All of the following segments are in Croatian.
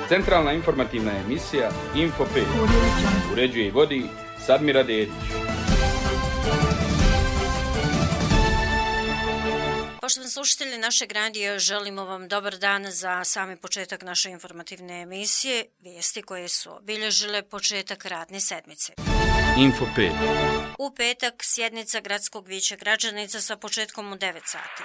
Centralna informativna emisija Info 5. Uređuje i vodi Sadmira Dedić. Poštovani slušatelji našeg radija, želimo vam dobar dan za sami početak naše informativne emisije, vijesti koje su obilježile početak radne sedmice. Info 5. U petak sjednica Gradskog vijeća građanica sa početkom u 9 sati.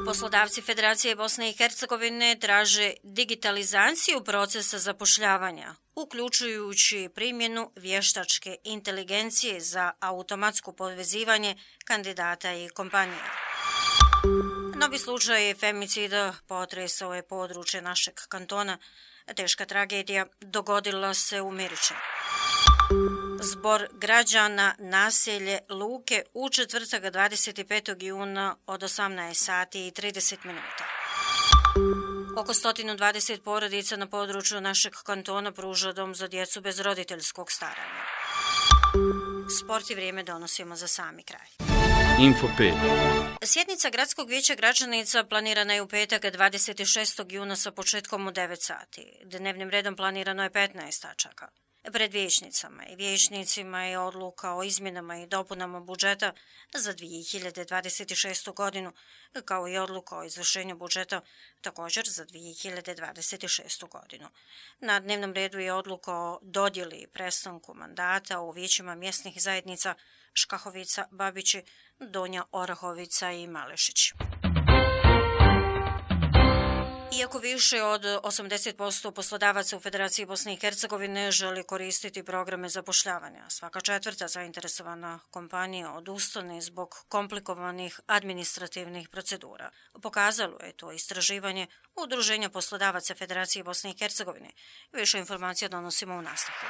Poslodavci Federacije Bosne i Hercegovine traže digitalizaciju procesa zapošljavanja, uključujući primjenu vještačke inteligencije za automatsko povezivanje kandidata i kompanija. Novi slučaj femicida potresao je područje našeg kantona. Teška tragedija dogodila se u Miričinu. Zbor građana naselje Luke u četvrtak 25. juna od 18 sati i 30 minuta. Oko 120 porodica na području našeg kantona pruža dom za djecu bez roditeljskog staranja. Sport i vrijeme donosimo za sami kraj. Info 5. Sjednica Gradskog vijeća građanica planirana je u petak 26. juna sa početkom u 9 sati. Dnevnim redom planirano je 15 tačaka. Pred vijećnicama i vijećnicima je odluka o izmjenama i dopunama budžeta za 2026. godinu, kao i odluka o izvršenju budžeta također za 2026. godinu. Na dnevnom redu je odluka o dodjeli i prestanku mandata u vijećima mjesnih zajednica Škahovica, Babići, Donja Orahovica i Malešić. Iako više od 80% poslodavaca u Federaciji Bosne i Hercegovine želi koristiti programe zapošljavanja, svaka četvrta zainteresovana kompanija odustane zbog komplikovanih administrativnih procedura. Pokazalo je to istraživanje Udruženja poslodavaca Federacije Bosne i Hercegovine. Više informacija donosimo u nastavku.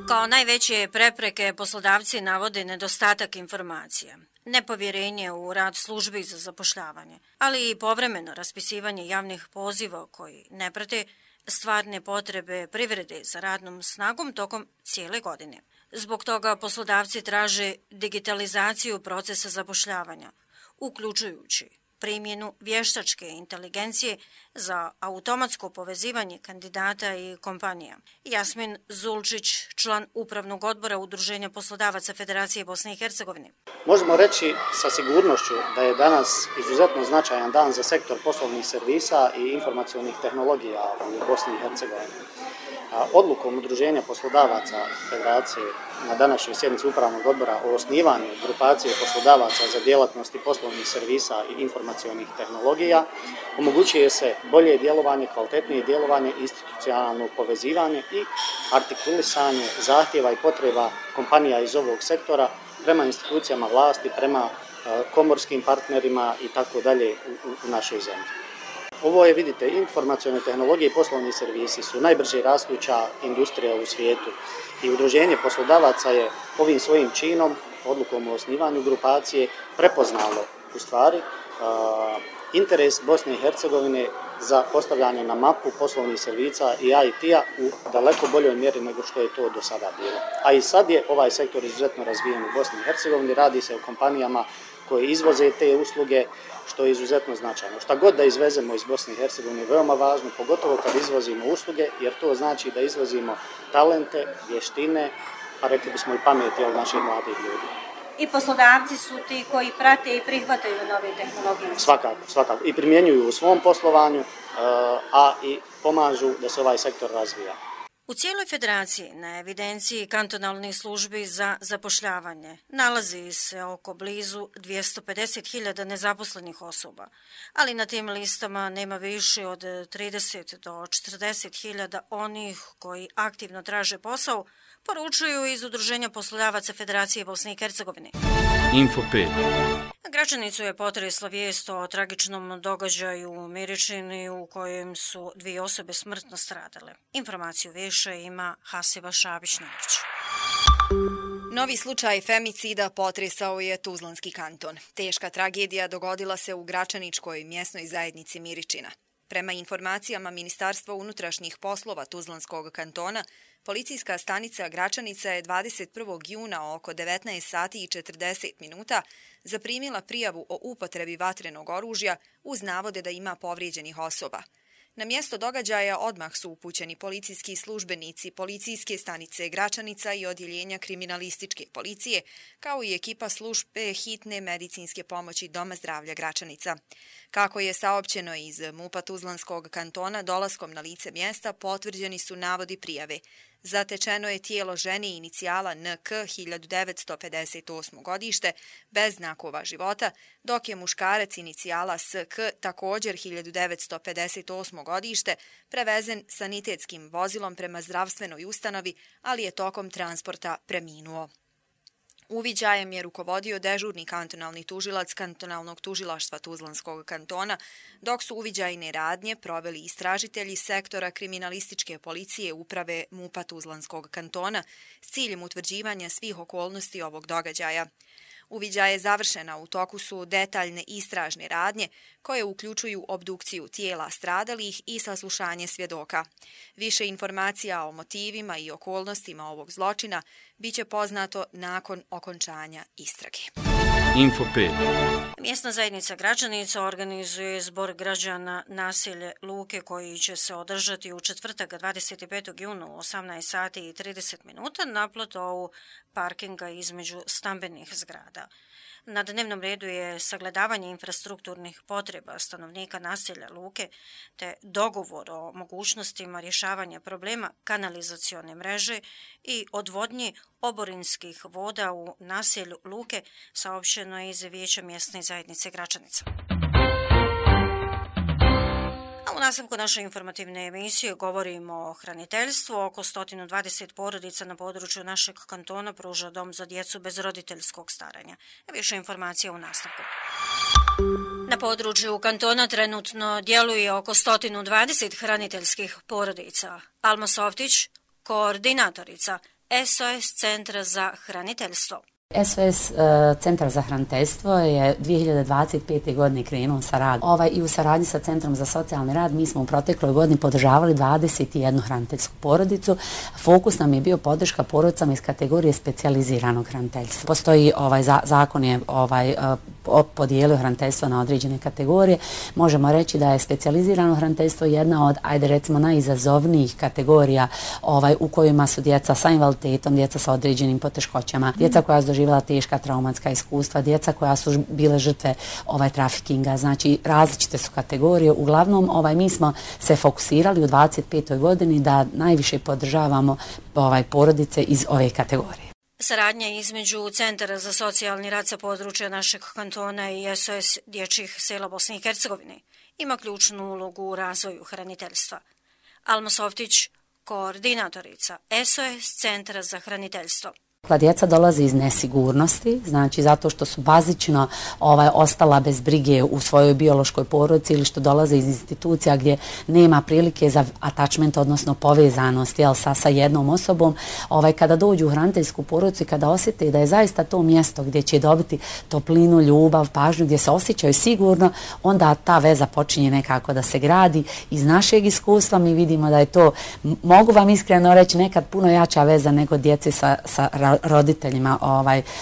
Kao najveće prepreke poslodavci navode nedostatak informacija, nepovjerenje u rad službi za zapošljavanje, ali i povremeno raspisivanje javnih poziva koji ne prate stvarne potrebe privrede za radnom snagom tokom cijele godine. Zbog toga poslodavci traže digitalizaciju procesa zapošljavanja, uključujući primjenu vještačke inteligencije za automatsko povezivanje kandidata i kompanija. Jasmin Zulčić, član Upravnog odbora Udruženja poslodavaca Federacije Bosne i Hercegovine. Možemo reći sa sigurnošću da je danas izuzetno značajan dan za sektor poslovnih servisa i informacionih tehnologija u Bosni i Hercegovini. Odlukom Udruženja poslodavaca Federacije na današnjoj sjednici Upravnog odbora o osnivanju grupacije poslodavaca za djelatnosti poslovnih servisa i informacionih tehnologija omogućuje se bolje djelovanje, kvalitetnije djelovanje, institucionalno povezivanje i artikulisanje zahtjeva i potreba kompanija iz ovog sektora prema institucijama vlasti, prema komorskim partnerima i tako dalje u našoj zemlji. Ovo je, vidite, informacione tehnologije i poslovni servisi su najbrže rastuća industrija u svijetu i Udruženje poslodavaca je ovim svojim činom, odlukom o osnivanju grupacije, prepoznalo u stvari interes Bosne i Hercegovine za postavljanje na mapu poslovnih servisa i IT-a u daleko boljoj mjeri nego što je to do sada bilo. A i sad je ovaj sektor izuzetno razvijen u Bosni i Hercegovini, radi se o kompanijama koje izvoze te usluge, što je izuzetno značajno. Šta god da izvezemo iz Bosne i Hercegovine je veoma važno, pogotovo kad izvozimo usluge, jer to znači da izvozimo talente, vještine, a rekli bismo i pameti od naših mladih ljudi. I poslodavci su ti koji prate i prihvataju nove tehnologije. Svakako. I primjenjuju u svom poslovanju, a i pomažu da se ovaj sektor razvija. U cijeloj federaciji na evidenciji kantonalnih službi za zapošljavanje nalazi se oko blizu 250.000 nezaposlenih osoba, ali na tim listama nema više od 30 do 40.000 onih koji aktivno traže posao, poručuju iz Udruženja poslodavaca Federacije Bosne i Hercegovine. Info 5. Građanicu je potresla vijest o tragičnom događaju u Miričini u kojem su 2 osobe smrtno stradale. Informaciju više ima Hasiba Šabić-Nović. Novi slučaj femicida potresao je Tuzlanski kanton. Teška tragedija dogodila se u Gračaničkoj mjesnoj zajednici Miričina. Prema informacijama Ministarstva unutrašnjih poslova Tuzlanskog kantona, policijska stanica Gračanica je 21. juna oko 19 sati i 40 minuta zaprimila prijavu o upotrebi vatrenog oružja uz navode da ima povrijeđenih osoba. Na mjesto događaja odmah su upućeni policijski službenici policijske stanice Gračanica i odjeljenja kriminalističke policije, kao i ekipa službe hitne medicinske pomoći Doma zdravlja Gračanica. Kako je saopćeno iz MUP-a Tuzlanskog kantona, dolaskom na lice mjesta potvrđeni su navodi prijave. Zatečeno je tijelo žene inicijala NK 1958. godište bez znakova života, dok je muškarac inicijala SK također 1958. godište prevezen sanitetskim vozilom prema zdravstvenoj ustanovi, ali je tokom transporta preminuo. Uviđajem je rukovodio dežurni kantonalni tužilac kantonalnog tužilaštva Tuzlanskog kantona, dok su uviđajne radnje proveli istražitelji sektora kriminalističke policije uprave MUP-a Tuzlanskog kantona s ciljem utvrđivanja svih okolnosti ovog događaja. Uviđaj je završena, u toku su detaljne istražne radnje koje uključuju obdukciju tijela stradalih i saslušanje svjedoka. Više informacija o motivima i okolnostima ovog zločina biće poznato nakon okončanja istrage. Info 5. Mjesna zajednica Gračanica organizuje zbor građana naselje Luke koji će se održati u četvrtak 25. juna u 18 sati i 30 minuta na platovu parkinga između stambenih zgrada. Na dnevnom redu je sagledavanje infrastrukturnih potreba stanovnika naselja Luke te dogovor o mogućnostima rješavanja problema kanalizacione mreže i odvodnje oborinskih voda u naselju Luke, saopćeno je iz Vijeća mjesne zajednice Gračanica. U nastavku naše informativne emisije govorimo o hraniteljstvu. Oko 120 porodica na području našeg kantona pruža dom za djecu bez roditeljskog staranja. Više informacija u nastavku. Na području kantona trenutno djeluje oko 120 hraniteljskih porodica. Alma Softić, koordinatorica SOS Centra za hraniteljstvo. SOS Centar za hraniteljstvo je 2025. godine krenuo sa radom. I u saradnji sa Centrom za socijalni rad mi smo u protekloj godini podržavali 21 hraniteljsku porodicu. Fokus nam je bio podrška porodicama iz kategorije specijaliziranog hraniteljstva. Postoji zakon je podijelio hraniteljstvo na određene kategorije. Možemo reći da je specijalizirano hraniteljstvo jedna od, recimo, najizazovnijih kategorija u kojima su djeca sa invaliditetom, djeca sa određenim poteškoćama, djeca koja su doživjela teška traumatska iskustva, djeca koja su bile žrtve trafikinga. Znači, različite su kategorije. Uglavnom, mi smo se fokusirali u 25. godini da najviše podržavamo porodice iz ove kategorije. Saradnja između Centara za socijalni rad sa područja našeg kantona i SOS dječjih sela Bosne i Hercegovine ima ključnu ulogu u razvoju hraniteljstva. Alma Softić, koordinatorica SOS Centra za hraniteljstvo. Djeca dolaze iz nesigurnosti, znači zato što su bazično ostala bez brige u svojoj biološkoj porodici ili što dolaze iz institucija gdje nema prilike za attachment, odnosno povezanost sa jednom osobom. Kada dođu u hraniteljsku porodicu i kada osjete da je zaista to mjesto gdje će dobiti toplinu, ljubav, pažnju, gdje se osjećaju sigurno, onda ta veza počinje nekako da se gradi. Iz našeg iskustva mi vidimo da je to, mogu vam iskreno reći, nekad puno jača veza nego djece sa roditeljima,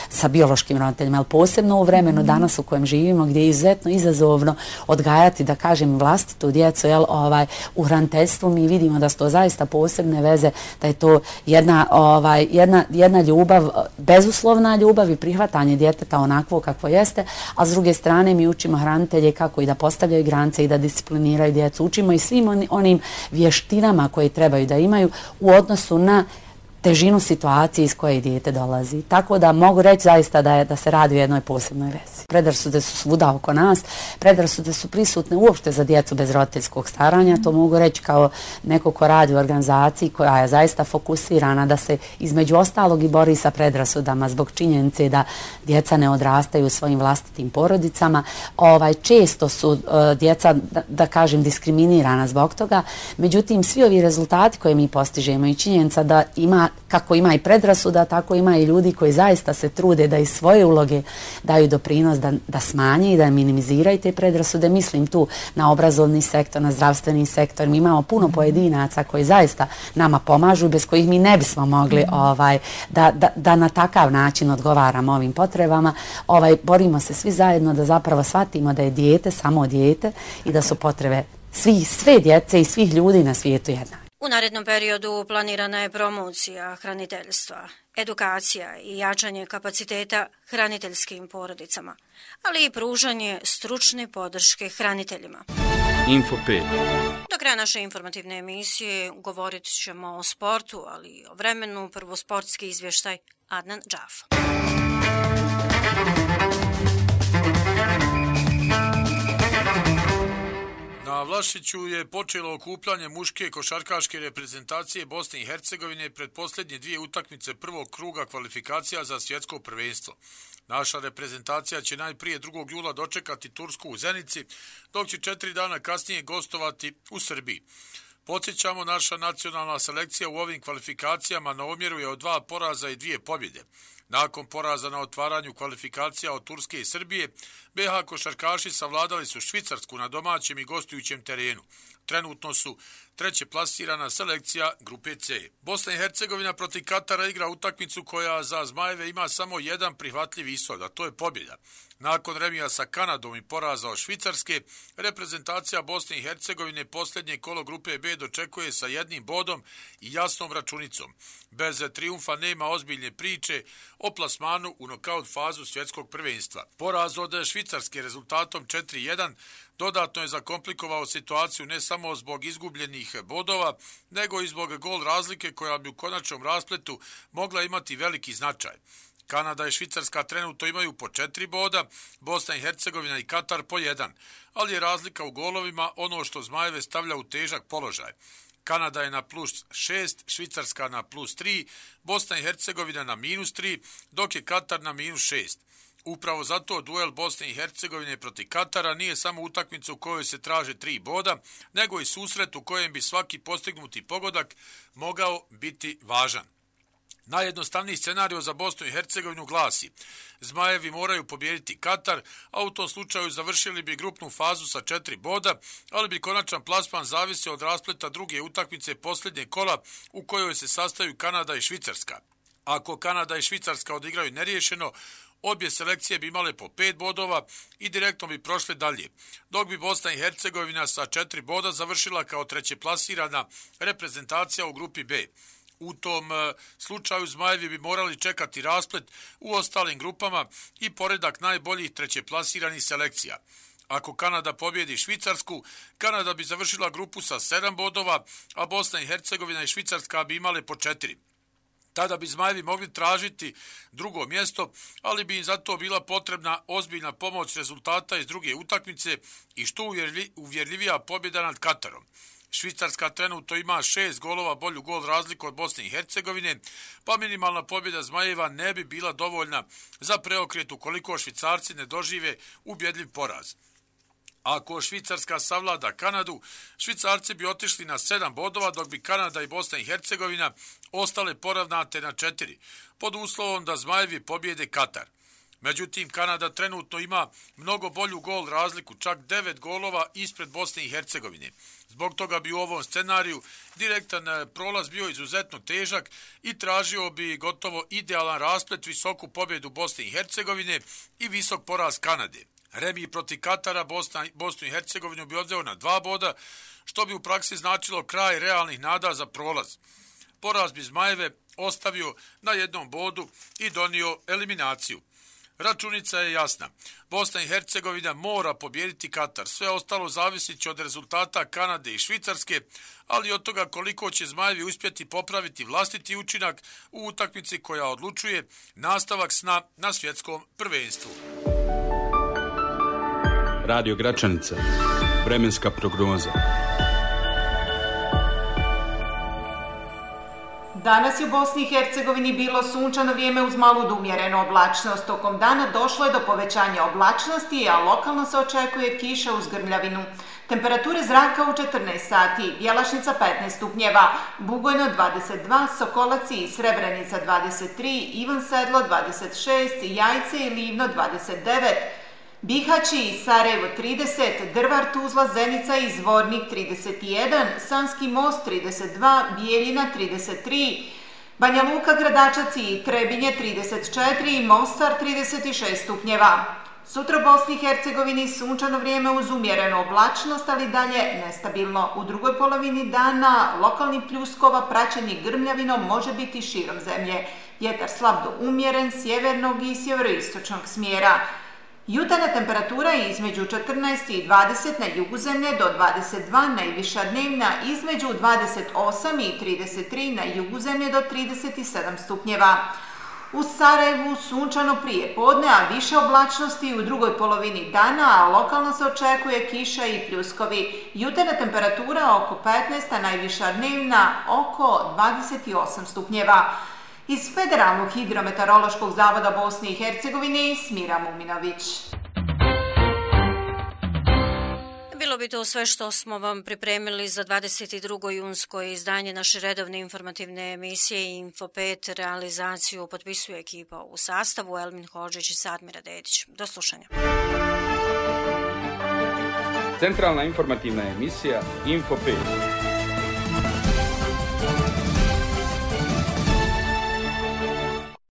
sa biološkim roditeljima, ali posebno u vremenu danas u kojem živimo, gdje je izuzetno izazovno odgajati, da kažem, vlastitu djecu, u hraniteljstvu mi vidimo da su to zaista posebne veze, da je to jedna ljubav, bezuslovna ljubav i prihvatanje djeteta onakvo kakvo jeste, a s druge strane mi učimo hranitelje kako i da postavljaju granice i da discipliniraju djecu. Učimo i svim onim vještinama koje trebaju da imaju u odnosu na težinu situacije iz koje dijete dolazi. Tako da mogu reći zaista da se radi o jednoj posebnoj vezi. Predrasude su svuda oko nas, predrasude su prisutne uopšte za djecu bez roditeljskog staranja. To mogu reći kao neko ko radi u organizaciji koja je zaista fokusirana da se između ostalog i bori sa predrasudama zbog činjenice da djeca ne odrastaju u svojim vlastitim porodicama. Često su djeca, da kažem, diskriminirana zbog toga. Međutim, svi ovi rezultati koje mi postižemo i činjenica da ima kako ima i predrasuda, tako ima i ljudi koji zaista se trude da iz svoje uloge daju doprinos da smanje i da minimiziraju te predrasude. Mislim tu na obrazovni sektor, na zdravstveni sektor. Mi imamo puno pojedinaca koji zaista nama pomažu i bez kojih mi ne bismo mogli da na takav način odgovaramo ovim potrebama. Borimo se svi zajedno da zapravo shvatimo da je dijete samo dijete i da su potrebe sve djece i svih ljudi na svijetu jednake. U narednom periodu planirana je promocija hraniteljstva, edukacija i jačanje kapaciteta hraniteljskim porodicama, ali i pružanje stručne podrške hraniteljima. Info 5. Do kraja naše informativne emisije govorit ćemo o sportu, ali i o vremenu. Prvo sportski izvještaj Adnan Džaf. Na Vlašiću je počelo okupljanje muške košarkaške reprezentacije Bosne i Hercegovine pred posljednje dvije utakmice prvog kruga kvalifikacija za svjetsko prvenstvo. Naša reprezentacija će najprije 2. jula dočekati Tursku u Zenici, dok će 4 dana kasnije gostovati u Srbiji. Podsjećamo, naša nacionalna selekcija u ovim kvalifikacijama na omjeru je od 2 poraza i 2 pobjede. Nakon poraza na otvaranju kvalifikacija od Turske i Srbije, BH košarkaši savladali su Švicarsku na domaćem i gostujućem terenu. Trenutno su treće plasirana selekcija grupe C. Bosna i Hercegovina protiv Katara igra utakmicu koja za Zmajeve ima samo jedan prihvatljiv ishod, a to je pobjeda. Nakon remija sa Kanadom i poraza od Švicarske, reprezentacija Bosne i Hercegovine posljednje kolo grupe B dočekuje sa 1 bodom i jasnom računicom. Bez trijumfa nema ozbiljne priče o plasmanu u nokaut fazu svjetskog prvenstva. Poraz od Švicarske rezultatom 4-1 dodatno je zakomplikovao situaciju ne samo zbog izgubljenih bodova, nego i zbog gol razlike koja bi u konačnom raspletu mogla imati veliki značaj. Kanada i Švicarska trenutno imaju po 4 boda, Bosna i Hercegovina i Katar po 1, ali je razlika u golovima ono što Zmajeve stavlja u težak položaj. Kanada je na +6, Švicarska na +3, Bosna i Hercegovina na -3, dok je Katar na -6. Upravo zato duel Bosne i Hercegovine protiv Katara nije samo utakmica u kojoj se traže 3 boda, nego i susret u kojem bi svaki postignuti pogodak mogao biti važan. Najjednostavniji scenario za Bosnu i Hercegovinu glasi: Zmajevi moraju pobijediti Katar, a u tom slučaju završili bi grupnu fazu sa 4 boda, ali bi konačan plasman zavisio od raspleta druge utakmice posljednje kola u kojoj se sastaju Kanada i Švicarska. Ako Kanada i Švicarska odigraju neriješeno, obje selekcije bi imale po 5 bodova i direktno bi prošle dalje, dok bi Bosna i Hercegovina sa 4 boda završila kao treće plasirana reprezentacija u grupi B. U tom slučaju Zmajevi bi morali čekati rasplet u ostalim grupama i poredak najboljih trećeplasiranih selekcija. Ako Kanada pobjedi Švicarsku, Kanada bi završila grupu sa 7 bodova, a Bosna i Hercegovina i Švicarska bi imale po 4. Tada bi Zmajevi mogli tražiti drugo mjesto, ali bi im zato bila potrebna ozbiljna pomoć rezultata iz druge utakmice i što uvjerljivija pobjeda nad Katarom. Švicarska trenutno ima 6 golova bolju gol razliku od Bosne i Hercegovine, pa minimalna pobjeda Zmajeva ne bi bila dovoljna za preokret ukoliko Švicarci ne dožive ubjedljiv poraz. Ako Švicarska savlada Kanadu, Švicarci bi otišli na 7 bodova, dok bi Kanada i Bosna i Hercegovina ostale poravnate na 4, pod uslovom da Zmajevi pobjede Katar. Međutim, Kanada trenutno ima mnogo bolju gol razliku, čak 9 golova ispred Bosne i Hercegovine. Zbog toga bi u ovom scenariju direktan prolaz bio izuzetno težak i tražio bi gotovo idealan rasplet, visoku pobjedu Bosne i Hercegovine i visok poraz Kanade. Remi protiv Katara Bosnu i Hercegovinu bi odveo na 2 boda, što bi u praksi značilo kraj realnih nada za prolaz. Poraz bi Zmajeve ostavio na 1 bodu i donio eliminaciju. Računica je jasna. Bosna i Hercegovina mora pobijediti Katar. Sve ostalo zavisit će od rezultata Kanade i Švicarske, ali od toga koliko će Zmajevi uspjeti popraviti vlastiti učinak u utakmici koja odlučuje nastavak sna na svjetskom prvenstvu. Radio Gračanica. Vremenska prognoza. Danas je u Bosni i Hercegovini bilo sunčano vrijeme uz malu do umjerenu oblačnost. Tokom dana došlo je do povećanja oblačnosti, a lokalno se očekuje kiša uz grmljavinu. Temperature zraka u 14 sati, Bjelašnica 15 stupnjeva, Bugojno 22, Sokolaci i Srebrenica 23, Ivan Sedlo 26, Jajce i Livno 29, Bihaći i Sarajevo 30, Drvar, Tuzla, Zenica i Zvornik 31, Sanski most 32, Bijeljina 33, Banja Luka, Gradačac i Trebinje 34 i Mostar 36 stupnjeva. Sutra u Bosni i Hercegovini sunčano vrijeme uz umjerenu oblačnost, ali dalje nestabilno. U drugoj polovini dana lokalni pljuskova praćeni grmljavinom može biti širom zemlje. Vjetar slab do umjeren, sjevernog i sjeveroistočnog smjera. Jutarnja temperatura je između 14 i 20 na jugu zemlje do 22, najviša dnevna između 28 i 33 na jugu zemlje do 37 stupnjeva. U Sarajevu sunčano prije podne, a više oblačnosti u drugoj polovini dana, a lokalno se očekuje kiša i pljuskovi. Jutarnja temperatura oko 15, a najviša dnevna oko 28 stupnjeva. Iz Federalnog hidrometeorološkog zavoda Bosne i Hercegovine, Smira Muminović. Bilo bi to sve što smo vam pripremili za 22. junsko izdanje naše redovne informativne emisije Info 5. Realizaciju potpisuje ekipa u sastavu Elmin Hodžić i Sadmira Dedić. Do slušanja. Centralna informativna emisija Info 5.